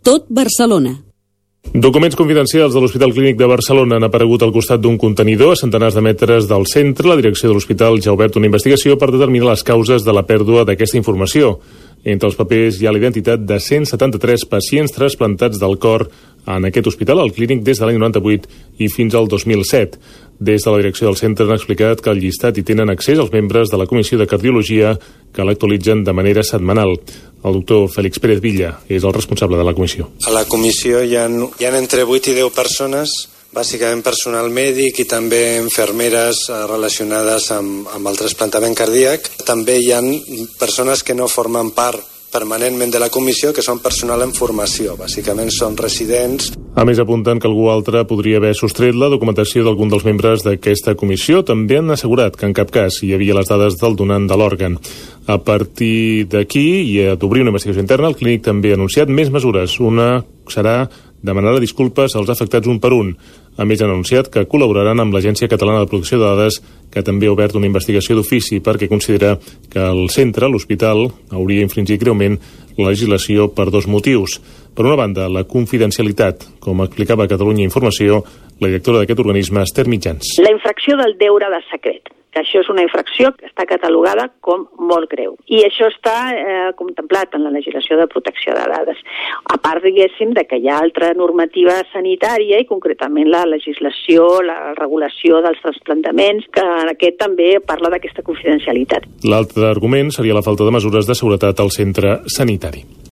tot Barcelona. Documents confidencials de l'Hospital Clínic de Barcelona han aparegut al costat d'un contenidor a centenars de metres del centre. La direcció de l'hospital ja ha obert una investigació per determinar les causes de la pèrdua d'aquesta informació. Entre els papers hi ha la identitat de 173 pacients trasplantats del cor en aquest hospital, al Clínic, des de l'any 98 i fins al 2007. Des de la direcció del centre han explicat que al llistat hi tenen accés els membres de la Comissió de Cardiologia, que l'actualitzen de manera setmanal. El doctor Félix Pérez Villa és el responsable de la comissió. A la comissió hi ha entre 8 i 10 persones, bàsicament personal mèdic i també infermeres relacionades amb el trasplantament cardíac. També hi ha persones que no formen part permanentment de la comissió, que són personal en formació, bàsicament són residents. A més, apunten que algú altre podria haver sostret la documentació d'algun dels membres d'aquesta comissió. També han assegurat que en cap cas hi havia les dades del donant de l'òrgan. A partir d'aquí i d'obrir una investigació interna, el Clínic també ha anunciat més mesures. Una serà demanar disculpes als afectats un per un. A més, han anunciat que col·laboraran amb l'Agència Catalana de Protecció de Dades, que també ha obert una investigació d'ofici perquè considera que el centre, l'hospital, hauria infringit greument la legislació per dos motius. Per una banda, la confidencialitat, com explicava a Catalunya Informació la directora d'aquest organisme, Esther Mitjans. La infracció del deure de secret, que això és una infracció que està catalogada com molt greu. I això està contemplat en la legislació de protecció de dades. A part, diguéssim, de que hi ha altra normativa sanitària i concretament la legislació, la regulació dels trasplantaments, que aquest també parla d'aquesta confidencialitat. L'altre argument seria la falta de mesures de seguretat al centre sanitari.